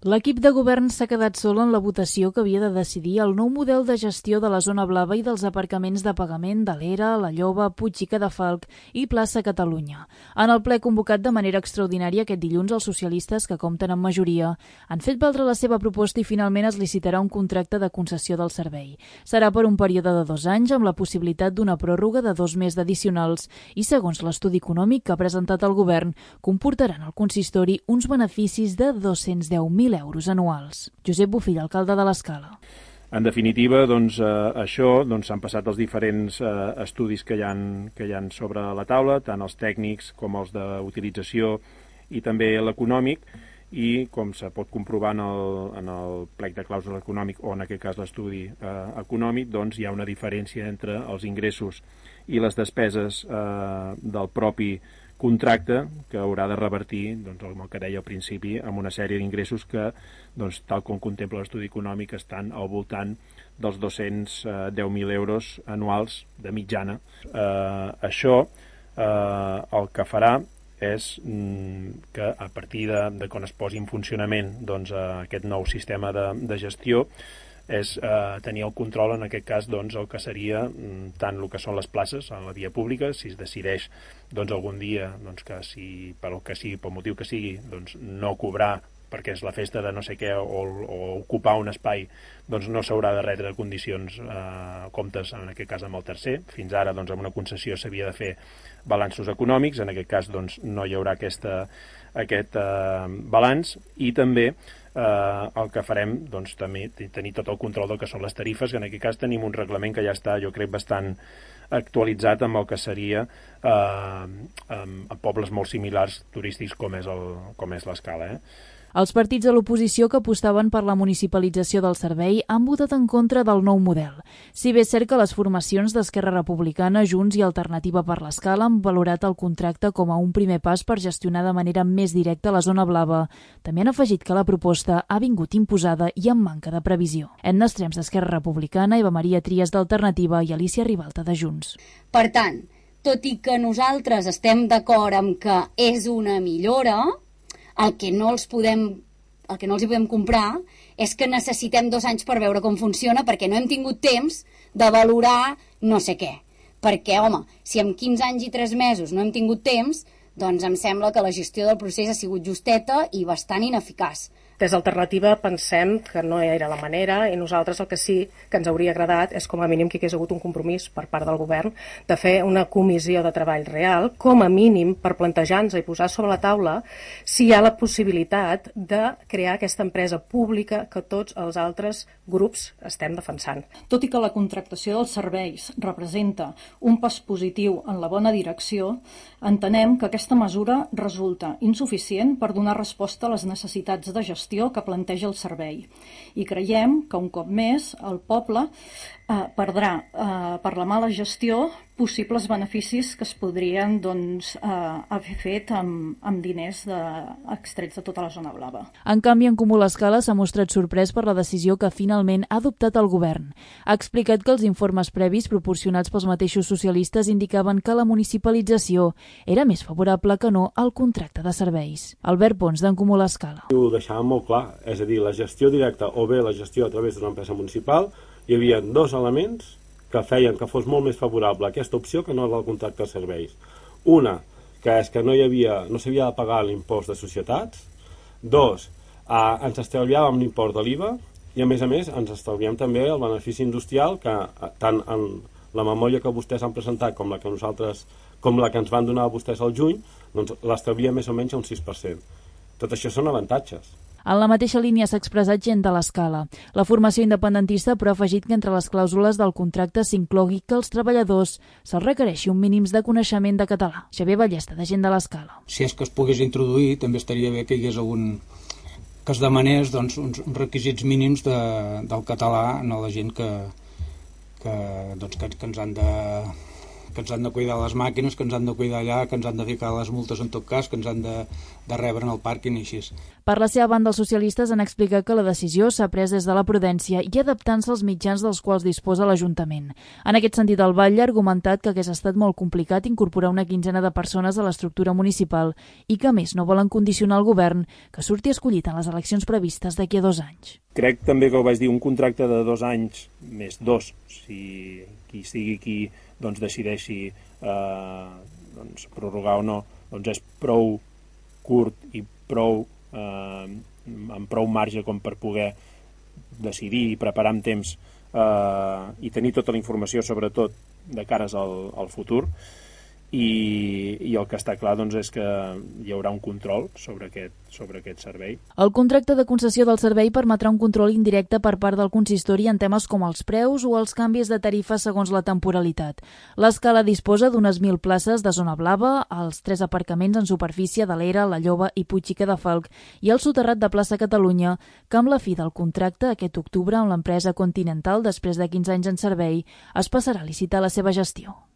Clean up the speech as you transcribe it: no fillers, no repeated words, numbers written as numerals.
L'equip de govern s'ha quedat sol en la votació que havia de decidir el nou model de gestió de la zona blava i dels aparcaments de pagament de l'Era, la Lloba, Puig i Cadafalc i Plaça Catalunya. En el ple convocat de manera extraordinària aquest dilluns, els socialistes, que compten amb majoria, han fet valdre la seva proposta i finalment es licitarà un contracte de concessió del servei. Serà per un període de 2 anys amb la possibilitat d'una pròrroga de 2 més addicionals i, segons l'estudi econòmic que ha presentat el govern, comportaran al consistori uns beneficis de 210.000 euros anuals. Josep Bofill, alcalde de l'Escala. En definitiva, s'han passat els diferents estudis que hi ha sobre la taula, tant els tècnics com els d'utilització i també l'econòmic, i com se pot comprovar en el plec de clàusula econòmic o en aquest cas l'estudi econòmic, doncs hi ha una diferència entre els ingressos i les despeses del propi contracte que haurà de revertir, el que deia al principi, amb una sèrie d'ingressos que, tal com contempla l'estudi econòmic, estan al voltant dels 210.000 euros anuals de mitjana. Això el que farà és que a partir de quan es posi en funcionament aquest nou sistema de gestió és tenir el control, en aquest cas, el que seria tant el que són les places a la via pública, si es decideix algun dia que si pel motiu que sigui no cobrar perquè és la festa de no sé què o ocupar un espai, no s'haurà de retre condicions comptes, en aquest cas amb el tercer. Fins ara amb una concessió s'havia de fer balanços econòmics, en aquest cas no hi haurà aquest balanç, i també el que farem també tenir tot el control del que són les tarifes, que en aquest cas tenim un reglament que ja està, jo crec, bastant actualitzat amb el que seria a pobles molt similars turístics com és l'Escala. Els partits de l'oposició que apostaven per la municipalització del servei han votat en contra del nou model. Si bé és cert que les formacions d'Esquerra Republicana, Junts i Alternativa per l'Escala han valorat el contracte com a un primer pas per gestionar de manera més directa la zona blava, també han afegit que la proposta ha vingut imposada i amb manca de previsió. Edna Estrems d'Esquerra Republicana, Eva Maria Trias d'Alternativa i Alicia Ribalta de Junts. Per tant, tot i que nosaltres estem d'acord amb que és una millora, el que no els hi podem comprar és que necessitem 2 anys per veure com funciona, perquè no hem tingut temps de valorar no sé què. Perquè, home, si en 15 anys i 3 mesos no hem tingut temps, doncs em sembla que la gestió del procés ha sigut justeta i bastant ineficaç. Des d'Alternativa pensem que no era la manera, i nosaltres el que sí que ens hauria agradat és com a mínim que hi hagués hagut un compromís per part del govern de fer una comissió de treball real, com a mínim per plantejar-nos i posar sobre la taula si hi ha la possibilitat de crear aquesta empresa pública que tots els altres grups estem defensant. Tot i que la contractació dels serveis representa un pas positiu en la bona direcció, entenem que aquesta mesura resulta insuficient per donar resposta a les necessitats de gestió que planteja el servei. I creiem que un cop més el poble perdrà per la mala gestió possibles beneficis que es podrien haver fet amb diners extrets de tota la zona blava. En canvi, en Comú l'Escala s'ha mostrat sorprès per la decisió que finalment ha adoptat el govern. Ha explicat que els informes previs proporcionats pels mateixos socialistes indicaven que la municipalització era més favorable que no al contracte de serveis. Albert Pons, d'en Comú l'Escala. Ho deixàvem molt clar, és a dir, la gestió directa o bé la gestió a través d'una empresa municipal, hi havia 2 elements que feien que fos molt més favorable aquesta opció que no el contracte de serveis. Una, que és que no s'havia de pagar l'impost de societats. 2, ens estalviàvem l'impost de l'IVA i, a més, ens estalviem també el benefici industrial que tant en la memòria que vostès han presentat com la que ens van donar vostès al juny, doncs l'estalvia més o menys a un 6%. Tot això són avantatges. En la mateixa línia s'ha expressat gent de l'Escala. La formació independentista però ha afegit que entre les clàusules del contracte s'inclogui que als treballadors se'ls requereixi un mínim de coneixement de català. Xavier Ballesta, de gent de l'Escala. Si és que es pogués introduir, també estaria bé que hi hagués que es demanés uns requisits mínims del català a la gent que ens han ens han de cuidar les màquines, que ens han de cuidar allà, que ens han de ficar les multes en tot cas, que ens han de rebre en el pàrquing i així. Per la seva banda, els socialistes han explicat que la decisió s'ha pres des de la prudència i adaptant-se als mitjans dels quals disposa l'Ajuntament. En aquest sentit, el batlle ha argumentat que hagués estat molt complicat incorporar una quinzena de persones a l'estructura municipal i que, a més, no volen condicionar el govern que surti escollit en les eleccions previstes d'aquí a 2 anys. Crec també que ho vaig dir, un contracte de 2 anys, més 2, si qui sigui qui doncs, decideixi doncs, prorrogar o no, doncs és prou curt i amb prou marge com per poder decidir i preparar amb temps i tenir tota la informació, sobretot de cares al futur, i el que està clar doncs, és que hi haurà un control sobre aquest servei. El contracte de concessió del servei permetrà un control indirecte per part del consistori en temes com els preus o els canvis de tarifa segons la temporalitat. L'escala disposa d'unes 1.000 places de zona blava, els 3 aparcaments en superfície de l'Era, la Lloba i Puig i Cadafalc i el soterrat de plaça Catalunya, que amb la fi del contracte aquest octubre amb l'empresa Continental, després de 15 anys en servei, es passarà a licitar la seva gestió.